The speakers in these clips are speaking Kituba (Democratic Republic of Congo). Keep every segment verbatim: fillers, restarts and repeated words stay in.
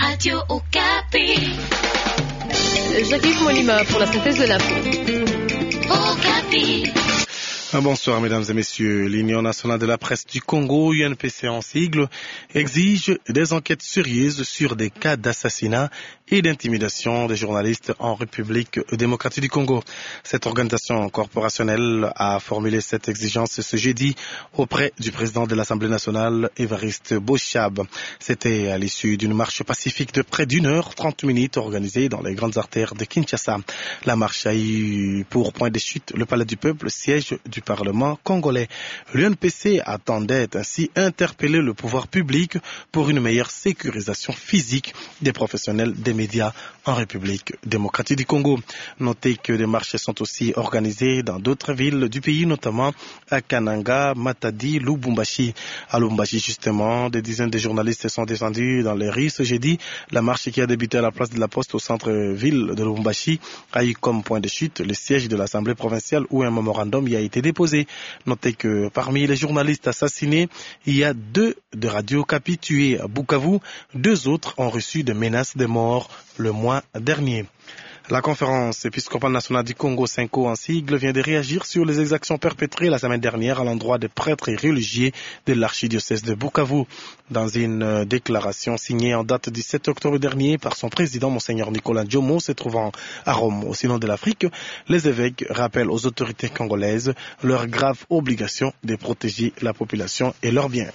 Radio Okapi. Jacques-Yves Molima pour la synthèse de l'info. Okapi. Ah, bonsoir, mesdames et messieurs. L'Union nationale de la presse du Congo, U N P C en sigle, exige des enquêtes sérieuses sur des cas d'assassinat et d'intimidation des journalistes en République démocratique du Congo. Cette organisation corporationnelle a formulé cette exigence ce jeudi auprès du président de l'Assemblée nationale, Évariste Boshab. C'était à l'issue d'une marche pacifique de près d'une heure trente minutes organisée dans les grandes artères de Kinshasa. La marche a eu pour point de chute le Palais du Peuple, siège du Parlement congolais. L'U N P C attendait ainsi interpeller le pouvoir public pour une meilleure sécurisation physique des professionnels des médias en République démocratique du Congo. Notez que des marches sont aussi organisées dans d'autres villes du pays, notamment à Kananga, Matadi, Lubumbashi. À Lubumbashi, justement, des dizaines de journalistes sont descendus dans les rues ce jeudi. La marche, qui a débuté à la place de la Poste au centre-ville de Lubumbashi, a eu comme point de chute le siège de l'Assemblée provinciale où un mémorandum y a été déposé. Notez que parmi les journalistes assassinés, il y a deux de Radio Okapi tués à Bukavu. Deux autres ont reçu des menaces de mort le mois dernier. La Conférence épiscopale nationale du Congo, CENCO en sigle, vient de réagir sur les exactions perpétrées la semaine dernière à l'endroit des prêtres et religieux de l'archidiocèse de Bukavu. Dans une, euh, déclaration signée en date du sept octobre dernier par son président, Monseigneur Nicolas Jomo, se trouvant à Rome au Synode de l'Afrique, les évêques rappellent aux autorités congolaises leur grave obligation de protéger la population et leurs biens.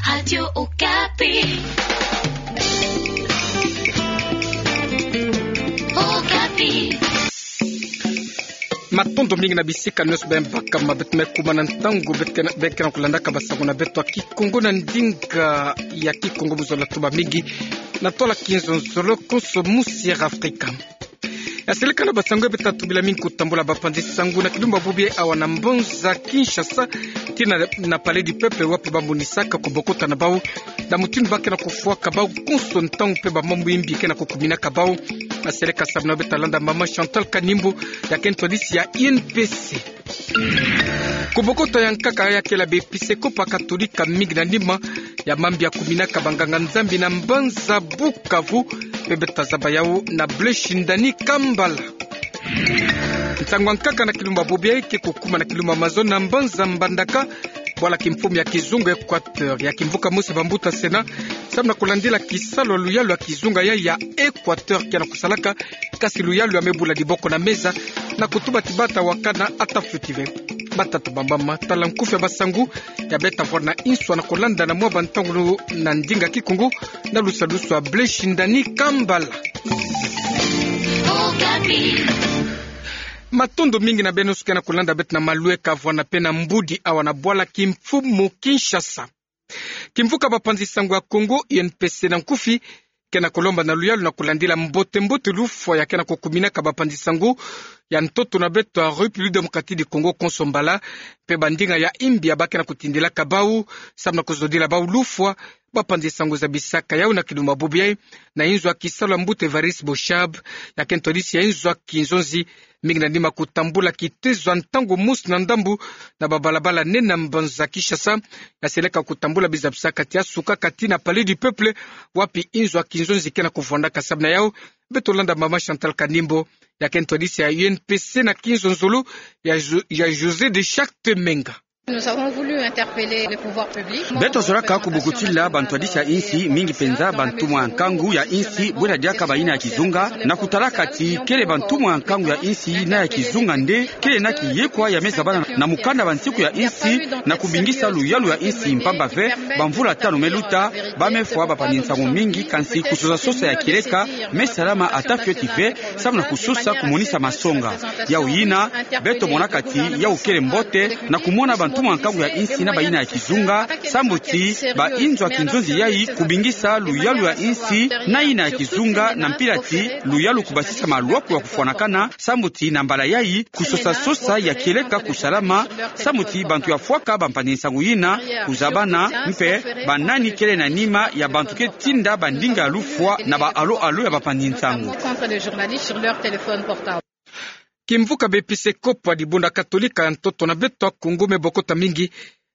Radio Okapi. Okapi. Matondo mingi na bisika nyonso bembaka ma beto me kumana ntangu beke na, beke na kulandaka basango na beto ya Kikongo na ndinga ya Kikongo mu zola tuba mingi. Na tola kinzonzolo konso mu Sierra Africa. Ya seleka na basango ya beto tubila mingi kutambula bapanzi sango na kilumbu bubu awa na mbanza Kinshasa, tina na Palais du Peuple, wapi bamonisaka kubokota na bau na mutindu ba ke na kufwaka bau konso ntangu mpe bamambu ya mbi ke na kukuminaka bau. Ya seleka samu na beto landa mama Chantal Kanimbo, ya kento disi ya U N P C. Kubokota ya nkaka ya kela bepisekopo katolika mingi na nima ya mambu ya kuminaka banganga-Nzambi na mbanza Bukavu, mpe beto zaba yau na Blaise Shindani Kambala. Nsangu ya nkaka na kilumbu bubu ke kukuma na kilumbu mazono na mbanza Mbandaka, bwala kimfumu ya kizunga Equateur, ya kimvuka mosi bambuta sena, samu na kulandila kisalu ya luyalu ya kizunga ya, ya Equateur ke na kusalaka, kasi luyalu ya me bula diboko na meza, na kutuba ti bata wakana ata fioti ve. Batata bamama, tala nkufi ya basango ya beto vwari na inswa na kulanda na mwa bantangu na ndinga Kikongo, na lusalusu ya Blaise Shindani Kambala. Matondo mingi na beno nyonso ke na kulanda beto na malweka vwari na pena mbudi awa na bwala kimfumu Kinshasa. Kimvuka bapanzi sango ya Kongo, U N P C na nkufi, ke na kulomba na luyalu na kulandila mbote-mbote lufwa ya ke na kukuminaka bapanzi sango ya ntoto na beto ya République Démocratique du Congo konso mbala, mpe bandinga ya mbi ya ba ke na kutindilaka bau, samu na kuzodila bau lufwa. Bapanzi sango zabisaka yau na kilumbu bubu na inzo ya kisalu ya mbuta Évariste Boshab, ya kento disi ya inzo ya kinzonzi, mingi na nima kutambula kitezo ya ntangu mosi na ndambu na babalabala nene ya mbanza Kinshasa. Ya seleka kutambula bizabisaka ti ya suka kati na Palais du Peuple, wapi inzo ya kinzonzi ke na kuvwandaka. Samu na yau, beto landa mama Chantal Kanimbo, ya kento disi ya U N P C na kinzonzolo ya Jo-, ya José de Charte Menga. Nous avons voulu interpeller les pouvoirs publics. Beto zolaka kubokotila bantu ya disi ya insi, mingi penza bantumwa ya nkangu ya insi, bwela diaka bayina ya kizunga, na kutalaka ti kele bantumwa ya nkangu ya insi na ya kizunga nde kele na kiyekwa ya me zabana na mukanda bansiku ya insi, na kubingisa luyalu ya insi mpamba ve, bamvula tanu me luta, ba me fwa bapanzi nsangu mingi, kansi kusosa-sosa ya kieleka me salama ata fioti ve, samu na kusosa kumonisa masonga. Yau yina, beto monaka ti yau kele mbote, na kumona bantumwa ya nkangu ya insi na bayina ya kizunga, sambu ti ba inzo ya kinzonzi yayi kubingisa luyalu ya insi na yina ya kizunga, na mpila ti luyalu kubasisa malwaku ya kufwanakana, sambu ti na mbala yayi kusosa-sosa ya kieleka kusalama, sambu ti bantu ya fwaka bapanzi nsangu yina kuzabana, mpe banani kele na nima ya bantu ke tinda bandinga ya lufwa na ba allô-allô ya bapanzi nsangu. Kimvuka bepisekopo ya dibundu katolika ya ntoto na beto ya Kongo me bokota mingi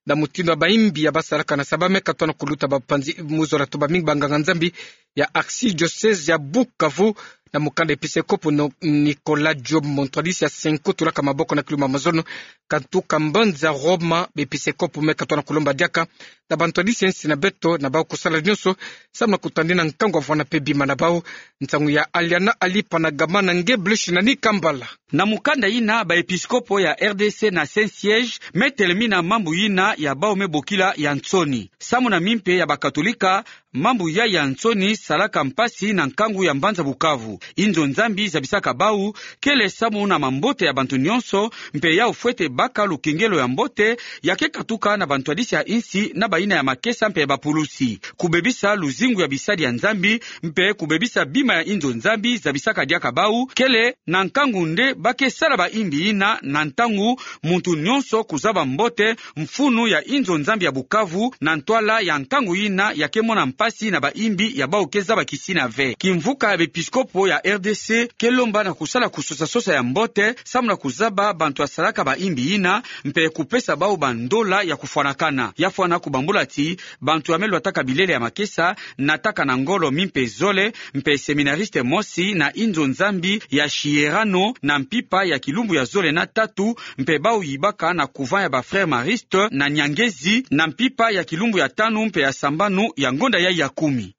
na mutindu ya bayimbi ya ba salaka na Saba me katono kuluta bapanzi mu zola tuba mingi banganga-Nzambi ya archidiocèse ya Bukavu, na mukanda episekopo Nicolas Job, ntwadisi ya Senko, tulaka maboko na kilumbu ya mazono, katuka mbanza Roma, b'episekopo me katona kulomba diaka na bantwadisi ya insi na beto na bau kusala nyonso, samu na kutadina nkangu avwanda mpe bima na bau. Nsangu ya Aliana Alipa na gama na nge Blush na Nikambala. Na mukanda yina, baepiskopo ya R D C na Saint-Siège me telemina mambu yina ya bau me bokila ya nsoni. Samu na mimpe ya bakatolika, mambu yayi ya nsoni salaka mpasi na nkangu ya mbanza Bukavu. Inzo Nzambi zabisaka bau kele samu na mambote ya bantu nyonso, mpe yau fwete baka lukengelo ya mbote ya ke katuka na bantwadisi ya insi na bayina ya makesa mpe ya bapulusi. Kubebisa luzingu ya bisadi ya Nzambi mpe kubebisa bima ya inzo Nzambi zabisaka diaka bau kele na nkangu nde ba ke sala baimbi yina, na ntangu muntu nyonso kuzaba mbote mfunu ya inzo Nzambi ya Bukavu na ntwala ya nkangu yina ya ke mona mpasi na baimbi ya bau ke zaba kisina ve. Kimvuka ya bepiskopo ya R D C ke lomba na kusala kusosa-sosa ya mbote samu na kuzaba bantu ya salaka baimbi yina, mpe kupesa bau bandola ya kufwanakana. Ya fwana kubambula ti bantu ya me lwataka bilele ya makesa, nataka na ngolo mimpe zole, mpe seminariste mosi na inzo Nzambi ya Chierano na mpimpa ya kilumbu ya zole na tatu, mpe bau yibaka na couvent ya ba Frères Maristes na Nyangezi na mpimpa ya kilumbu ya tanu mpe ya sambanu ya ngonda yayi ya kumi.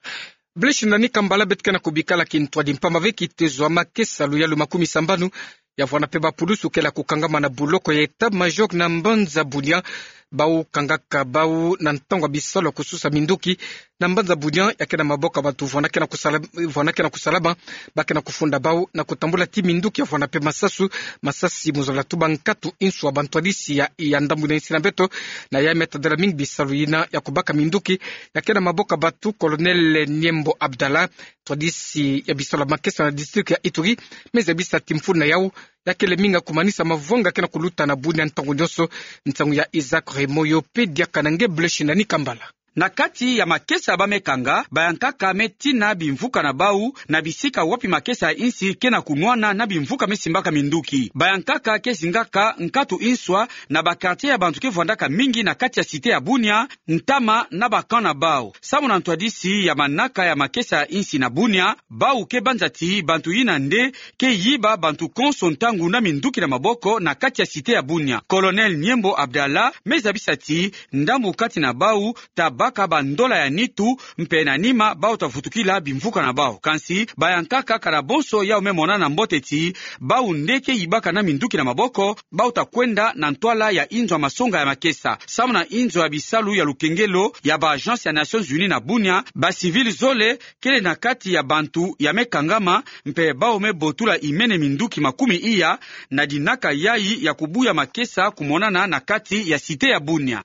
Blush na Nikambala, beto ke na kubikala kintwadi mpamba ve kitezo ya makesa luyalu makumi sambanu ya vwanda mpe bapulusu kele ya kukangama na buloko ya état-major na mbanza Bunia. Bau kangaka bau na ntangu ya bisalu ya kususa minduki na mbanza Bunia ya ke na maboko ya bantu vwanda ke na kusala-, vwanda ke na kusalama, ba ke na kufunda bau na kutambula ti minduki ya vwanda mpe masasu, masasi mu zola tuba nkatu insu ya bantwadisi ya, ya ndambu na insi na beto, na ya me tadila mingi bisalu yina ya kubaka minduki ya ke na maboko ya bantu. Colonel Niembo Abdallah, ntwadisi ya bisalu ya makesa na district ya Ituri, me zabisa ti mfunu na yau ya kele mingi ya kumanisa mavanga ke na kuluta na Bunia ntangu nyonso. Nsangu ya Isaac Raymond, yo mpe diaka na nge Blush na Nikambala. Na kati ya makesa ba me kanga, bayankaka me tina bimvuka na bau na bisika wapi makesa ya insi ke na kunwana na bimvuka me simbaka minduki. Bayankaka ke zingaka nkatu inswa na ba quartier ya bantu ke vwandaka mingi na kati ya cité ya Bunia, ntama na ba camp na bau. Samu na ntwadisi ya manaka ya makesa ya insi na Bunia, bau ke banza ti bantu yina nde ke yiba bantu konso ntangu na minduki na maboko na kati ya cité ya Bunia. Colonel Niembo Abdallah me zabisa ti ndambu kati na bau ta baka bandola ya nitu, mpe na nima bau ta vutukila bimvuka na bau. Kansi bayankaka kana bonso yau me monana mbote ti bau nde ke yibaka na minduki na maboko, bau ta kwenda na ntwala ya inzo ya masonga ya makesa. Samu na inzo ya bisalu ya lukengelo ya ba agence ya Nations Unies na Bunia, ba civil zole kele na kati ya bantu ya me kangama, mpe bau me botula imene minduki makumi iya na dinaka yayi ya kubuya makesa kumonana na kati ya cité ya Bunia.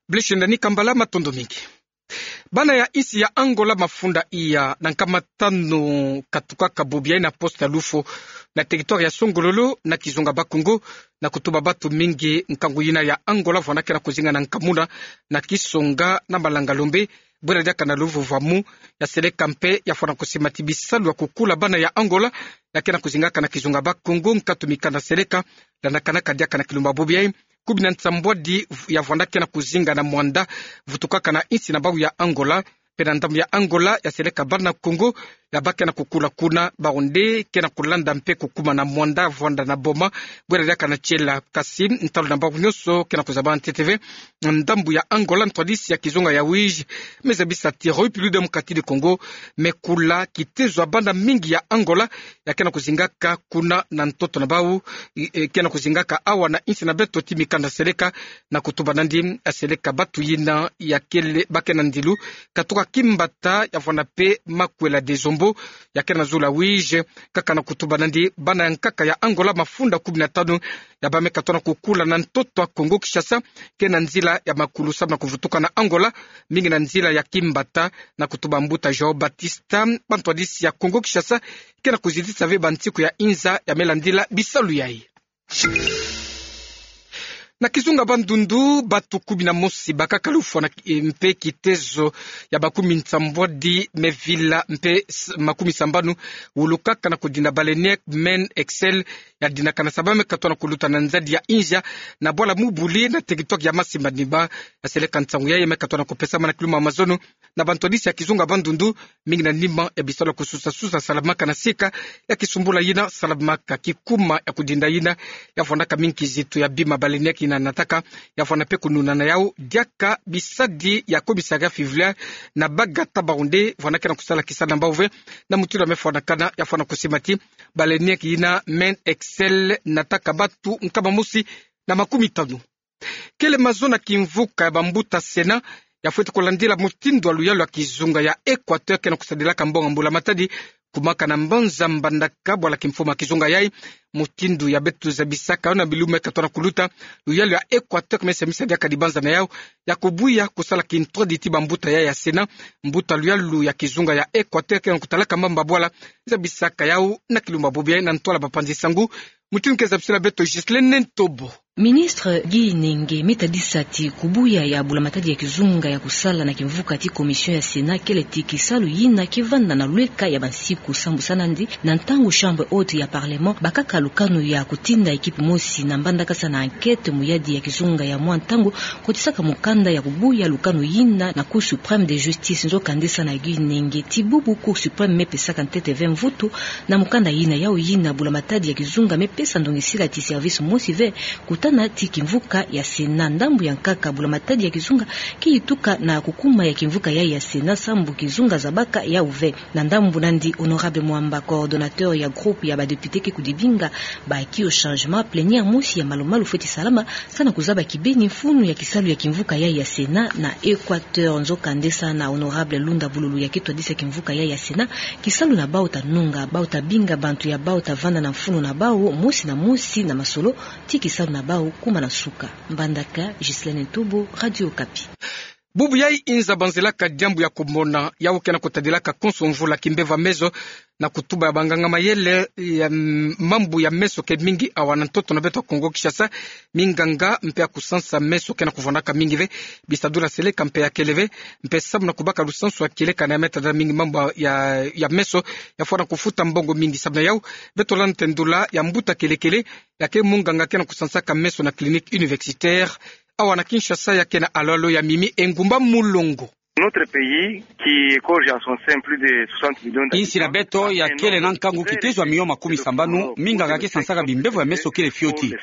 Blush na Nikambala, matondo mingi. Bana ya insi ya Angola mafunda iya na nkama tanu katukaka bobi yayi na poste ya Lufo, na territoire ya Songololo, na kizunga Bas-Congo, na kutuba bantu mingi nkangu yina ya Angola vwanda ke na kuzinga na nkamuna na kisonga na malanga lombe, bwela diaka na luvova mu. Ya seleka mpe ya fwana kusima ti bisalu ya kukula bana ya Angola ya ke na kuzingaka na kizunga Bas-Congo, nkatu mikanda seleka, landakanaka diaka na kilumbu ya bobi yayi, kumi na nsambwadi ya vwanda ke na kuzinga na mwanda vutukaka na insi na bau ya Angola. Mpe na ndambu ya Angola, ya seleka bana Congo ya ba ke na kukula kuna, bau nde ke na kulanda mpe kukuma na mwanda vwanda na boma, bwela diaka na tiela. Kasi ntalu na bau nyonso ke na kuzaba ntete ve. Ndambu ya Angola, ntwadisi ya kizunga ya Uíge me zabisa ti République démocratique du Congo me kula kitezo ya bana mingi ya Angola ya ke na kuzingaka kuna na ntoto na bau, e, e, ke na kuzingaka awa na insi na beto ti mikanda seleka, na kutuba nandi ya seleka bantu yina ya kele, ba ke na ndilu katuka kimbata ya vwanda mpe makwela Dezombo ya ke na zulu ya Uíge, kaka na kutuba nandi bana ya nkaka ya Angola mafunda kumi na tanu ya ba me katona kukula na ntoto ya Congo-Kinshasa, ke na nzila ya makulu samu na kuvutuka na Angola, mingi na nzila ya kimbata, na kutuba mbuta João Batista. Bantwadisi ya Congo-Kinshasa ke na kuzitisa ve bansiku ya inza ya me landila bisalu yayi. Na kizunga Bandundu, batu kumi na mosi bakaka lufwa na, eh, mpe kitezo ya makumi nsambwadi me vila mpe s-, makumi sambanu wulukaka na kudinda baleinière Main Excel, yadinakana saba me katona kuluta na nzadi ya India, na bwala Mubuli na territoire ya Masi Manima. Yaseleka nsangu yayi me katona kupesama na kiluma mazono na bantwadisi ya kizunga Bandundu, mingi na nima ya bisalu ya kususasusa salamaka na sika ya kisumbula yina salamaka. Kikuma ya kudinda yina yavwandaka mingi kizitu ya bima baleinière yina nataka, yavwanda mpe kununana yau diaka bisadi ya commissariat fluvial na Baga Tabaroundé, vwandakena kusala kisalu na bau ve, na mutindu ya mefwanakana, yavwanda kusima ti baleinière yina Main Excel nataka batu nkama mosi na makumi tanu. Kele mazono ya kimvuka ya bambuta Sénat yafweti kulandila mutindu ya luyalu ya kizunga ya Équateur kena kusadilaka mbonga mbula matadi, kumaka na mbanza Mbandaka, bwala kimfumu ya kizunga yayi. Mutindu ya beto zabisaka yo na bilumbu me katona kuluta, luyalu ya Équateur ke mesemisa diaka dibanza na yau ya kubuya kusala kintwadi ti bambuta yayi ya Sénat. Mbuta luyalu ya kizunga ya Équateur kena kutalaka mbamba bwala zabisaka yau na kilumbu bobo yayi na ntwala bapanzi nsangu. Mutindu ke zabisila beto Ghislaine Ntobo. Ministre Guy Nenge me tadisa ti kubuya ya bula matadi ya kizunga ya kusala na kimvuka ti commission ya Sénat kele ti kisalu yina kevanda na lweka ya bansiku sambu sa nandi, na ntangu chambre haute ya parlement bakaka lukanu ya kutinda équipe mosi na Mbandaka sa na enquête mu yadi ya kizunga ya mwa ntangu, kotisaka mukanda ya kubuya lukanu yina na Cour suprême de justice. Nzokande sa na Guy Nenge, ti bubu Cour suprême mepesaka ntete ve mvutu na mukanda yina, yau yina bula matadi ya kizunga mepesa ndongisila ti service mosi ve kutana ti kimvuka ya Sénat. Ndambu ya nkaka, bula matadi ya kizunga keyituka na kukuma ya kimvuka yayi ya Sénat sambu kizunga zabaka yau ve. Na ndambu nandi, Honorable Mwamba, coordonnateur ya groupe ya badéputé ke kudibinga baki au changement, plénière mosi ya malu-malu fweti salama sa na kuzaba kibeni mfunu ya kisalu ya kimvuka yayi ya Sénat na Équateur. Nzokande sa na Honorable Lunda Bululu ya ketwadisa kimvuka yayi ya Sénat, kisalu na bau ta nunga, bau ta binga bantu ya bau ta vanda na mfunu na bau mosi na mosi na masolo ti kisalu na bau kuma na suka. Mbandaka, Ghislaine Ntobo, Radio Okapi. Bubu yayi inza banzelaka diambu ya kumona, yau kena kutadilaka konso mvula kimbevo ya meso, na kutuba ya banganga mayele ya, mm, mambu ya meso ke mingi awa na ntoto na beto Kongo Kinshasa. Minganga mpe ya kusansa meso kena kuvwandaka mingi ve. Bisadulu ya seleka mpe ya kele ve, mpe samu na kubaka lusansu ya kieleka na ya me tadila mingi mambu ya, ya meso, yafwana kufuta mbongo mingi. Samu na yau, beto landa tendula ya mbuta kelekele, ya ke munganga kena kusansaka meso na clinique universitaire awa na Kinshasa, ya ke na alo-alo ya Mimi Engumba Mulongo. Notre pays, qui égorge en son sein plus de soixante millions d'habitants, insi na beto ya kele na nkangu kitezo ya miliyo makumi sambanu, minganga ke sansaka bimbevo ya meso kele fioti.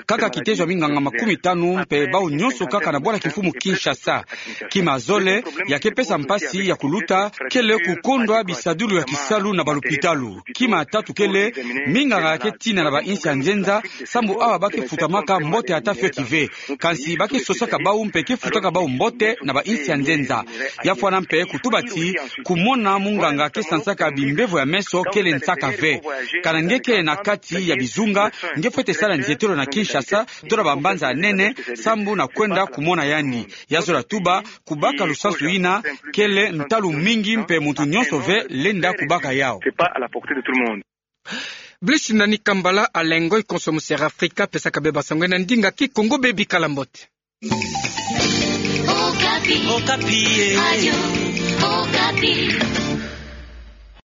Kaka kitezo ya minganga makumi tanu mpe bau nyonso kaka na bwala kimfumu Kinshasa. Kima zole ya ke pesa mpasi ya kuluta kele kukondwa bisadulu ya kisalu na balopitalu. Kima tatu kele, minganga ya ke tina na bainsi ya nzenza, sambu awa ba ke futamaka mbote ata fioti ve. Kansi ba ke sosaka bau mpe ke futaka bau mbote na bainsi ya nzenza. Yafwana mpe kutuba ti kumona munganga ke sansaka bimbevo ya meso kele nsaka ve. Kana nge ke na kati ya bizunga, nge fwete sala nzietelo na Kinshasa to na bambanza ya nene, sambu na kwenda kumona yandi. Ya zola tuba, kubaka lusansu yina kele ntalu mingi mpe muntu nyonso ve lenda kubaka yau. Brice Nani Kambala, Alain Ngoy, konso mu Sierra Africa, pesaka bê basango na ndinga Kikongo. Bê bikala mbote. Okapi. Okapi, eh. Radio Okapi.